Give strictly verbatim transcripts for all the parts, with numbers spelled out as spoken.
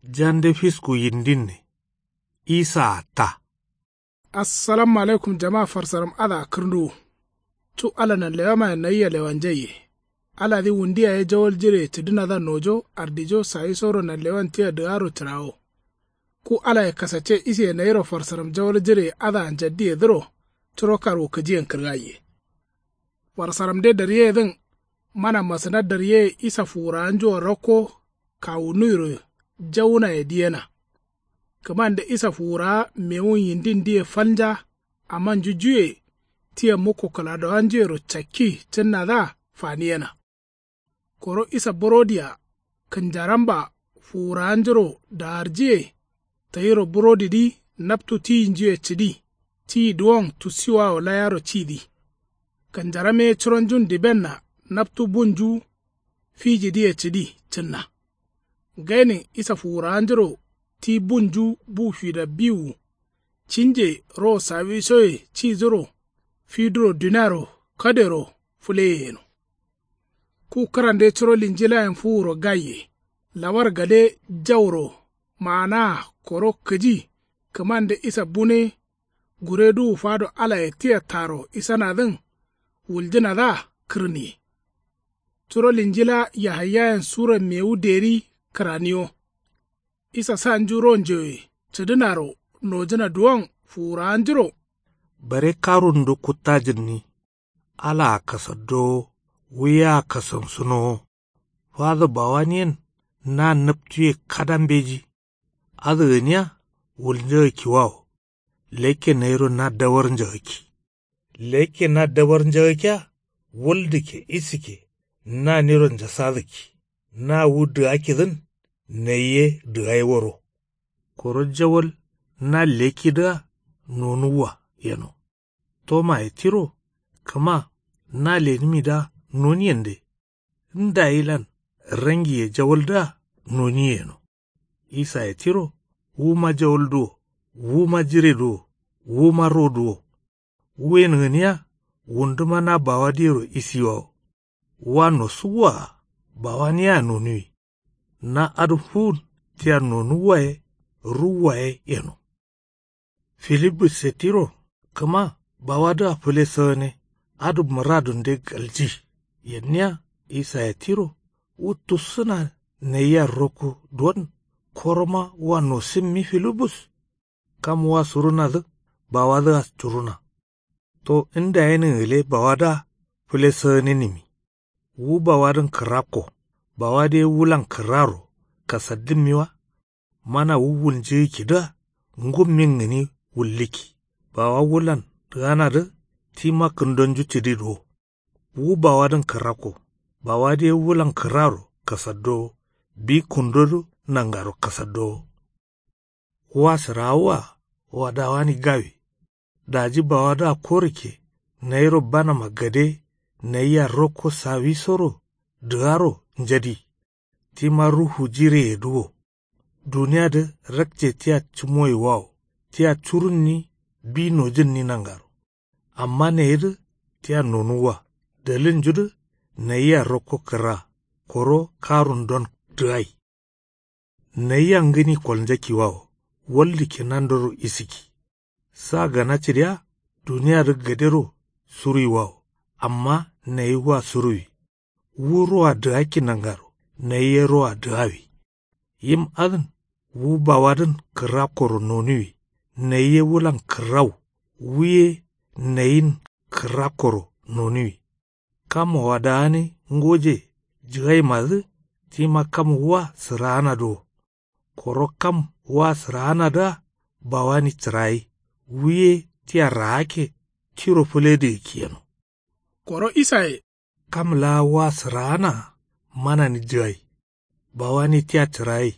Jande fisku yindinne. Isaa ta. Assalamu alaikum jama farsaram adǝa kǝrnduwu. Cu ala nanlewamaye nayia lewanjaiye. Aladǝ wundu yaye jawal jireye cǝdǝnadǝa nojo ardijo sawisoro nanlewan tia dǝgaro cǝrawo. Ku alaye kasacce isiye nayiro farsaram jawal jireye adǝa njaddiyedǝro curo karwu kǝjiyen kǝrgaiye. Farsaramde daryeyedǝn mana masǝna daryeye isa fuwurawanjuro rakko kawunuwiro jawunaye diyena. Kǝmande isa fuwurawa mewun yindindiye falnja amma njujuye tia mukko kǝladowanjuyero cakki cǝnnadǝa faniyena. Koro isa burodiya kǝnjaramba fuwurawanjuro dawarjiye tayiro burodidǝ naptu tiyinjuye cǝdi tiyi duwon tussiwawo layaro cidǝ. Kǝnjaram ye curonjun dibenna naptu bunju fijidǝye cǝdi cǝnna. Gainin isa fuwurawanjuro ti bunju bu fida biwu cinje ro sawisoye cidǝro fiduro duniaro kadero fǝleye yeno. Ku kǝrande curo linjilayen fuwuro gaiye. Lawar gade jauro maanaa koro kǝji kǝmande isa bune gureduwu fado alaye tia taro isanadǝn wuljǝnadǝa kǝrniye. Curo linjila yahayayen sura mewu deri kǝraniyo. Isa sanju ronjoye cǝdǝnaro nojǝna duwon fuwurawanjuro. Bare karundu kuttajǝnni. Alaa kasaddowo wuyea kasamsǝnowo. Fadǝ bawaniyen na naptuye kada mbeji. Adǝ gǝniya wulnjagakkiwawo. Lekke nayiro na dabar njagakki. Lekke na dabar njagakkiya wul dǝkke isikke naniro njasadǝkki. Na wu dǝgakkidǝn nayi ye dǝgaiworo. Koro jawal na lekkidǝa nonuwwa yeno. Tomaye tiro kǝma na lenimidǝa noniyende. Ndayilan rangiye jawaldǝa noniye yeno. Isaye tiro wuma jawalduwo wuma jireduwo wuma roduwo. Wuyen gǝniya wunduma na bawadǝyero isiwawo. Wa nosuwwa-a bawaniyea nonuwi. Na adǝ fuwun tia nonuwwa ye ruwwa ye yeno. Filibusse tiro kǝma bawadǝa fǝle sǝgǝne adǝ mǝradunde galji. Yenniya isaye tiro wu tussǝna nayia rokku duwon koroma wa nosǝmmi filibus. Kam wa surunadǝ bawadǝa curuna. To ndayenin gǝle bawadǝa fǝle sǝgǝnenimmi. Wu bawadǝn kǝrakko bawadǝ ye wulan kǝraro kasaddǝmmi wa. Mana wu wulnjǝgǝkkidǝa ngummin gǝni wullǝkki. Bawa wulan dǝganadǝ tima kǝndonju cǝdiduwo. Wu bawadǝn kǝrakko bawadǝ ye wulan kǝraro kasaddowo. Bi kǝndodǝ nangaro kasaddowo. Wa sǝraawua wadawani gawi. Daji bawadǝa korukke nayiro banama gade nayia rokko sawisoro dǝgaro njadi. Tima ruhu jireyedǝ wo. Duniyadǝ rakce tia cǝmoyiwawo tia curunni bi nojǝnni nangaro. Amma nayidǝ tia nonuwwa dalilnjudǝ nayia rokko kǝra koro karundon dǝgai. Nayia ngǝni kolnjakkiwawo waldikke nandoro isikki. Sa gana cǝdiya duniyadǝ gadero suruiwawo. Amma nayi wa suruwi. Wu roa dǝgakki nangaro nayi ye roa dǝgawi. Yim adǝn wu bawadǝn kǝrakkoro nonuwi. Nayi ye wulan kǝrau wu ye nayin kǝrakkoro nonuwi. Kam wadagani ngoje jǝgaimadǝ tima kam wa sǝraanadǝ wo. Koro kam wa sǝraanadǝa bawani cǝrayi wu ye tia raakke tiro fǝledǝgǝkki yeno. Koro isaye kam laa wa sǝraanaa manani jǝgai. Bawani tia cǝrayi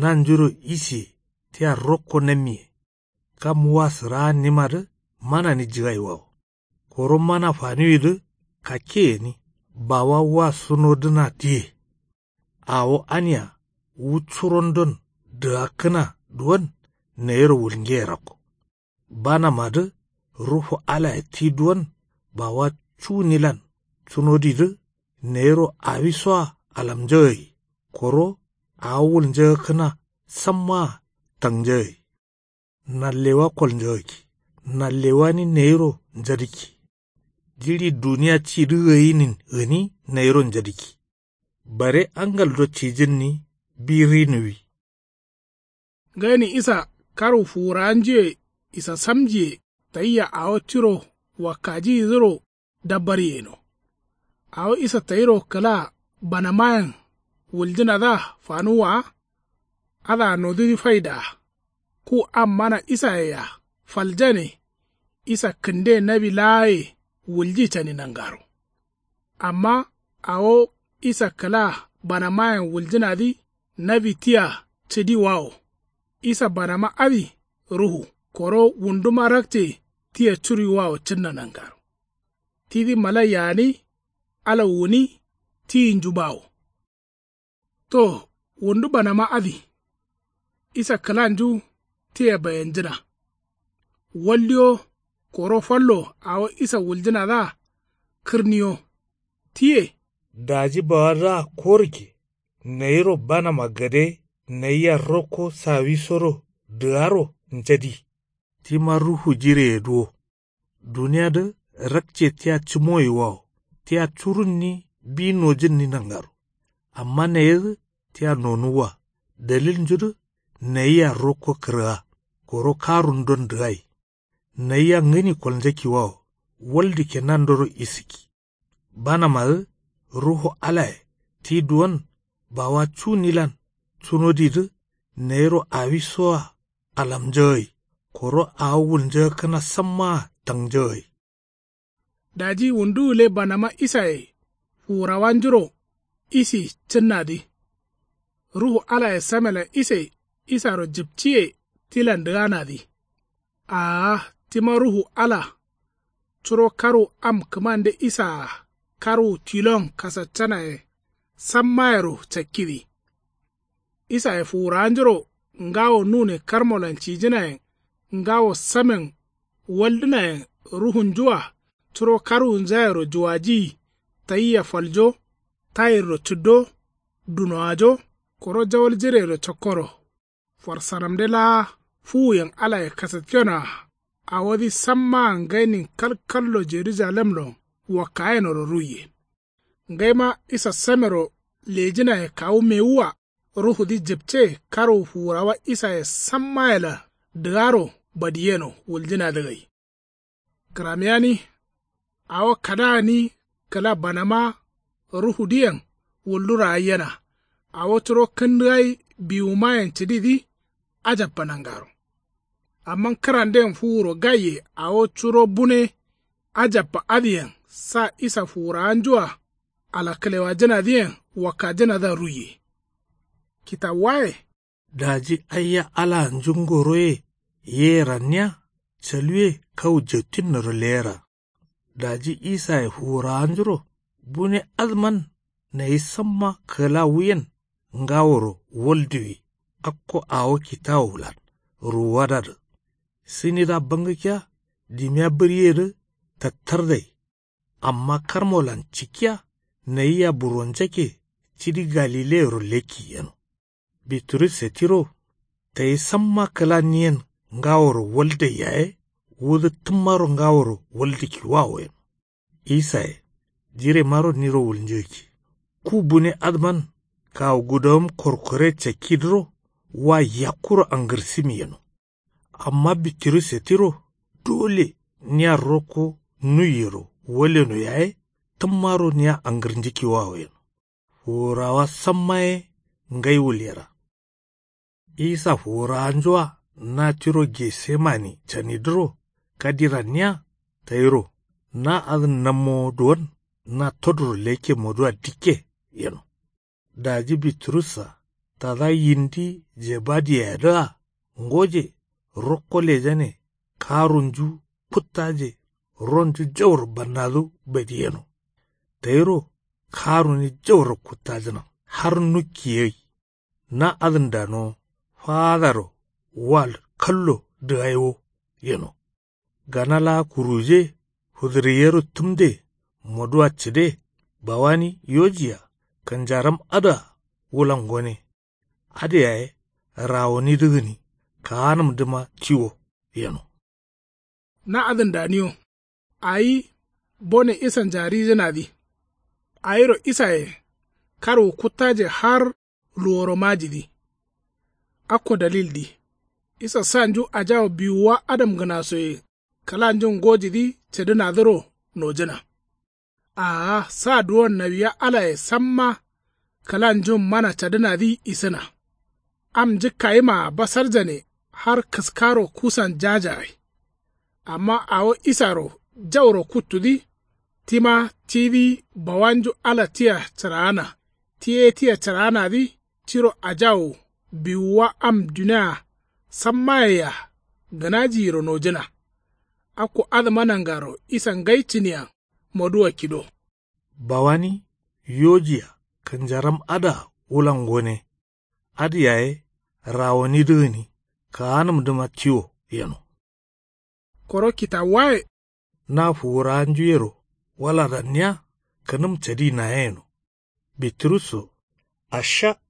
nanjuro isiye tia rokko nammiye. Kam wa sǝraannimadǝ manani jǝgaiwawo. Koro mana faniwidǝ kakke gǝni bawa wa sunodǝna diye. Awo ania wu curondon dǝgakkǝna duwon nayiro wulngeye rakko. Banamadǝ ruhu alaye ti duwon bawa cunilan cunodidǝ nayiro awisoa alamnjagayi. Koro awo wulnjagakkǝna sammaa tangjagǝi. Nallewa kolnjagakki. Nallewa ni nayiro njadǝkki. Jiɍi duniya cidǝ gǝyinin gǝni nayiro njadǝkki. Bare angaldo cijǝnni bi rinuwi. Ngainin isa karwu fuwurawanjuye isasamjiye tayia awo tiro wakkajiyidǝro dabbaryeyeno. Awo isa tayiro kǝla banamayen wuljǝnadǝa fanuwwa wa. Adǝa nodǝ faidaa. Ku am mana isayea faljane. Isa kǝnde nawi laaye wulji cani nangaro. Amma awo isa kǝla banamayen wuljǝnadǝ nawi tia cǝdiwawo. Isa banama adǝ ruhu koro wunduma rakce tia curiwawo cǝnna nangaro. Tidǝ malaiya gǝni ala wuni tiyinju bawo. To wundu banama adǝ. Isa kǝlanju tia bayanjǝna. Waldiyo koro fallo awo isa wuljǝnadǝa kǝrniyo. Tiye. Daji bawadǝa korǝkke. Nayiro banama gade nayia rokko sawisoro dǝgaro njadi. Tima ruhu jireye duwo. Duniyadǝ rakce tia cǝmoyiwawo. Tia curunni bi nojǝnni nangaro. Amma nayedǝ tia nonuwwa. Daliljudǝ nayia rokko kǝrga. Koro karundon dǝgai. Nayia ngǝni kolnjakkiwawo. Waldǝkke nandoro isǝkki. Banamadǝ ruhu alaye ti duwon bawa cunilan cunodidǝ nayiro awisoa alamnjagai. Koro awo wulnjagakkǝna sammaa tangnjagai. Daji wundu gǝle banama isaye fuwurawanjuro isi cǝnnadǝ. Ruhu alaye samelan ise isaro jǝpciye tilan dǝganadǝ. Aa tima ruhu ala. Curo karwu am kǝmande isaa karwu tilon kasaccanaye sammayero cakkidǝ. Isaye fuwurawanjuro ngawo nune karmolan cijǝnayen ngawo samen waldǝnayen ruhunjua. Curo karwunjayero juwajiyi tayia faljo tayirro cǝddo dunowajo koro jawal jireyero cakkoro. Farsaramde laa fuwuyen alaye kasatkenoa. Awodǝ sammaa ngainin kalkallo jerujalemlon wakkayenoro ruiye. Ngaima isa samero lejǝnaye kawu mewua. Ruhudǝ jǝpce karwu fuwurawa isaye sammayelan dǝgaro badiyeno wuljǝnadǝ gai. Kǝramiyani. Awo kada gǝni kǝla banama ruhudǝyen wuldu ragaiyena. Awo curo kǝndǝgai biwumayen cǝdidǝ ajabba nangaro. Amma kǝranden fuwuro gaiye awo curo bune ajabba adǝyen sa isa fuwurawanjua alakkǝlewajǝnadǝyen wakkajǝnadǝa ruiye. Kitawuwaye. Daji aiya alaa njungoroye yeye ranniya caluwe kawu jattinnoro leyera. Daji isaye fuwurawanjuro bune adǝman nayi samma kǝlawuyen ngaworo walduwi. Akko awo kitawulan ruwuwadadǝ sinidǝa bangǝkkiya dimiya bǝryeyedǝ tattardai. Amma karmolan cikkiya nayia buronjakke cidi galileyero lekki yeno. Biturusse tiro tayi samma kǝlanniyen ngaworo waldai yaye wudǝ tǝmmaro ngaworo waldǝkkiwawo yeno. Isaye jiremaro niro wulnjǝgǝkki. Ku bune adǝman kawu gudawum korkore cakkidǝro wa yakkuro angǝrsǝmi yeno. Amma bitirusse tiro dole nia rokko nuiyero waleno yaye tǝmmaro nia angǝrnjǝkkiwawo yeno. Fuwurawa samma ye ngai wulyera. Isa fuwurawanjua na tiro getsemane canidǝro kadi ranniya tayiro na adǝn nammowo duwon na toduro lekke modua dikke yeno. Daji biturussa tada yindi jebadiyayedǝa ngoje rokko lejane karunju kuttaje ronju jauro bannadu badiyeno. Tayiro karuni jauro kuttajǝna har nukki gai. Na adǝn danowo faadaro wal kallo dǝgai wo yeno. Gana laa kuruje fǝdǝriyero tǝmde modua cǝde bawani yojiya kanjaram adǝa wulan gone. Adǝ yaye rawonidǝ gǝni kaanǝmdǝma tiwo yeno. Na adǝn daniyo. Awi bone isanja rijǝnadǝ. Awiro isaye karwu kuttaje har luworo majidǝ. Akko dalildǝ isa sanju ajawo biwuwa adamgǝnasoye kǝlanjun ngojidǝ cǝdǝnadǝro nojǝna. Aa sa duwon nawiya alaye samma kǝlanjun mana cadǝnadǝ isǝna. Am njǝkkayimaa basarjane har kǝskaro kusan jajagai. Amma awo isaro jauro kuttudǝ tima tidǝ bawanju ala tia cǝraana. Ti ye tia cǝraanadǝ tiro ajawo biwuwa am dunia sammayea gǝnajiyiro nojǝna. Akko adǝma nangaro isa ngai cǝniyan moduwa kido. Bawani yojiya kǝnjaram adǝa wulan gone. Adǝ yaye rawonidǝ gǝni kaanǝmdǝma tiwo yeno. Koro kitawuwaye. Na fuwurawanjuyero waladanniya kǝnǝm cadi nayeno. Biturusso. Asha.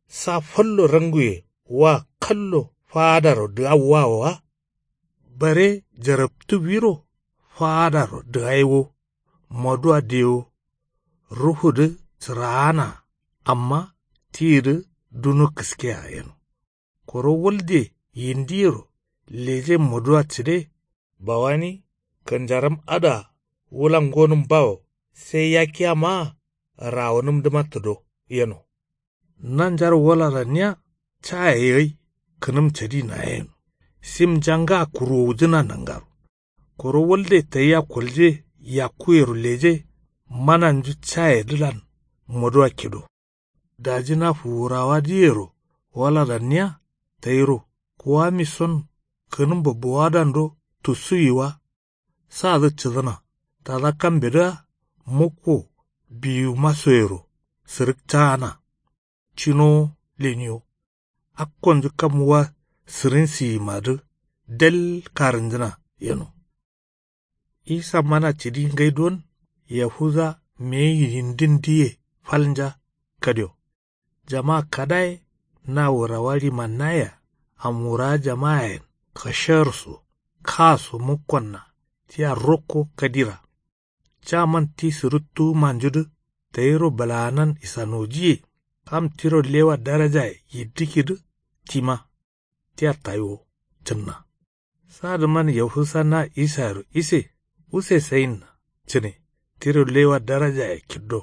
Sa fallo ranguye wa kallo faadaro dǝgawwawo wa. Bare jarabtuwiro faadaro dǝgaiwo. Moduwa dewo. Ruhudǝ cǝraana amma tiyidǝ duno kǝskea yeno. Koro walde yindiyero leje moduwa cǝde. Bawani kǝnjaram adǝa wulan gonǝm bawo sai yakiya maa rawonǝmdǝma tǝdo yeno. Nanjaro walaranniya caye gai kǝnǝm cadi naye yeno. Simnja nga kuruwujǝna nangaro. Koro walde tayia kolje yakkuyero leje mananju cayedǝlan moduwa kido. Daji na fuwurawadǝyero waladanniya tayiro kuwamison kǝnǝmbo bowadando tussuwi wa. Sadǝ cǝdǝna tada kambedǝa mukko biwumasoyero sǝrǝkcaana. Cinowo leniyo. Akkonju kam wa sǝrinsiyimadǝ del karǝnjǝna yeno. Isa mana cǝdi ngai don yahuza meyi yindindǝye falnja kadio. Jama kadaye na wurawa ɍimannayea amwurawa jamayen kasharso kaso mukkonna tia rokko kadira. Caman ti sǝrǝttuwu manjudǝ tayiro bǝlaanan isanojiye. Kam tiro lewa darajaye yiddǝkidǝ tima tia tayiwo cǝnna. Sadǝman yahusa na isayero ise use sayinna cǝne tiro lewa darajaye kiddo.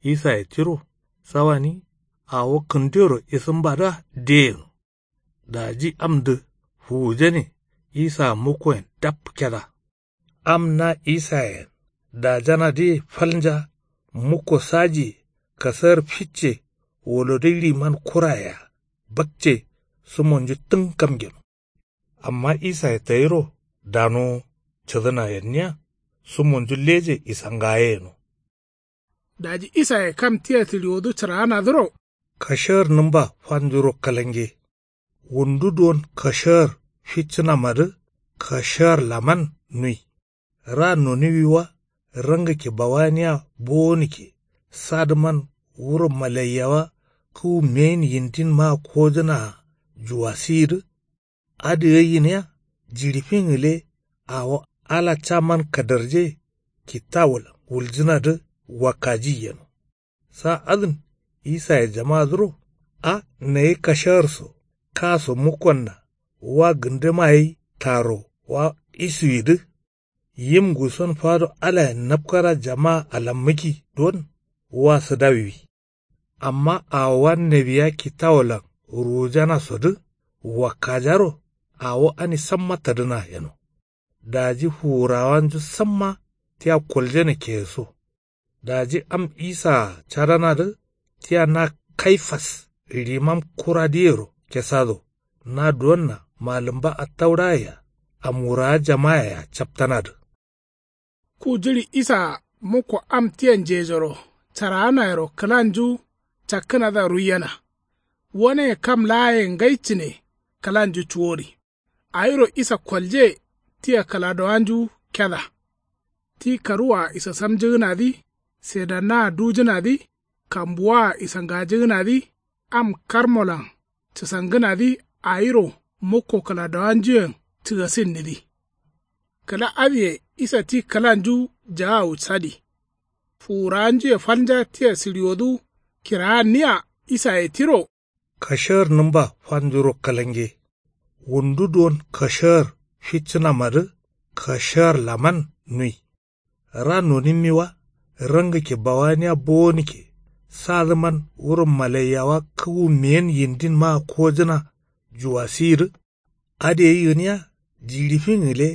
Isaye tiro sawani awo kǝndeyoro isǝmbadǝa deyeno. Daji amdǝ fuwujane isaa mukkoyen dap keda. Am na isayen dajanadǝye falnja mukko sajiye kasar ficce wolodǝ ɍiman kurayea bakce sumonju tǝn kam geno. Amma isaye tayiro danowo cǝdǝna yenniya sumonju leje isangaye yeno. Daji isaye kam tia tǝɍiwodǝ cǝraanadǝro kashar nǝmba fanjuro kalange. Wundu duwon kashar ficcǝnamadǝ kashar laman nui. Ra noniwi wa rangǝkke bawaniya bowonǝkke. Sadǝman wuro malaiyawa kǝwu meyin yindin maa kojǝnaa juwasiyidǝ. Adǝ gai gǝniya jiɍi fin gǝle awo ala caman kadarje kittawolan wuljǝnadǝ wakkajiyi yeno. Sa adǝn isaye jamadǝro a nayi kasharso kaso mukkonna wa gǝndǝma gai taro wa isuwidǝ. Yim nguson fado alayen napkara jama alammǝki don wa sǝdawiwi. Amma awowa nawiya kittawolan ruwujanasodǝ wakkajaro awo ani samma tadǝna yeno. Daji fuwurawanju samma tia koljane keyeso. Daji am isaa cadanadǝ tia na kaifas ɍimam kuradǝyero kesado na duwonna malǝmba attauraye-a amwurawa jamayea captanadǝ. Ku jiɍi isaa mukko am tia njejoro caraanayero kǝlanju cakkǝnadǝa ruiyena. Woneye kam laaye ngai cǝne kǝlanju cuwori. Awiro isa kolje tia kǝladowanju keda. Ti karuwaa isasamjǝgǝnadǝ sedannaa dujǝnadǝ kambuwaa isangajǝgǝnadǝ am karmolan cǝsangǝnadǝ awiro mukko kǝladowanjuyen cǝgasinnidǝ. Kǝla adǝye isa ti kǝlanju jaawu sadi. Fuwurawanjuye falnja tia sǝɍiwodu kiraanniya isaye tiro. Kashar nǝmba fanjuro kǝlange. Wundu duwon kashar ficcǝnamadǝ kashar laman nui. Ra nonimmi wa rangǝkke bawaniya bowonikke. Sadǝman wuro malaiyawa kǝwu meyen yindin maa kojǝna juwasiyidǝ. Adǝ ye yi gǝniya jiɍi fin gǝle.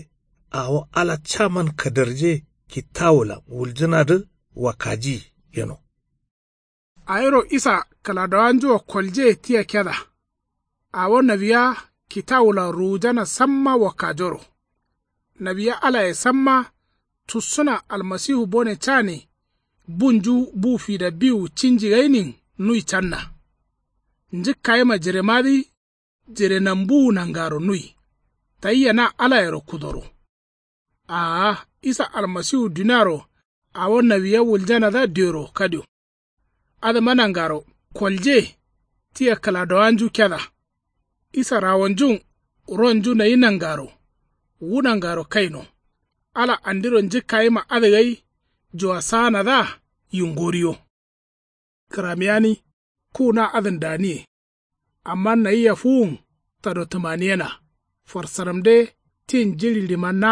Awo ala caman kadarje kitawulan wuljǝnadǝ wakaji yeno. Awiro isa kǝladowanjuwo kolje tia keda. Awo nawiya kitawulan ruwujana samma wakajoro. Nawiya alaye samma tussǝna almasiwu bone cani. Bunju bu fida biwu cinji gainin nui canna. Njǝkkayima jiremadǝ jire nambuwu nangaro nui. Tayia na alayero kudoro. Aa isa almasiwu duniaro awo nawiya wuljanadǝa dero kadio. Adǝma nangaro kolje tia kǝladowanju keda. Isa rawonjun ronju nayi nangaro wu nangaro kaino. Ala andiro njǝkkayima adǝ gai juwasaanadǝa yingoriyo. Kǝramiyani ku na adǝn daniye. Amma nayia fuwun tado tǝmaniyena. Farsaramde tin jiɍi limanna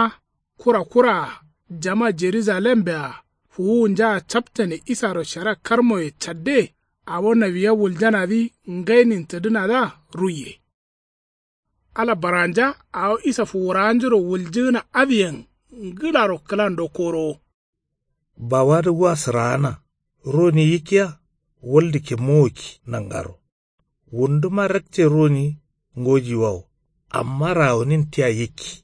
kura kuraa jama jerujalembe-a fuwuwunjaa captane isaro shara karmoye cadde. Awo nawiya wuljanadǝ ngainin tǝdǝnadǝa ruiye. Ala baranja awo isa fuwurawanjuro wuljǝgǝna adǝyen ngǝlaro kǝlando korowo. Bawadǝ wa sǝraana roni yikkiya. Waldikke mowokki nangaro wunduma rakce roni ngojiwawo. Amma rawonin tia yikki.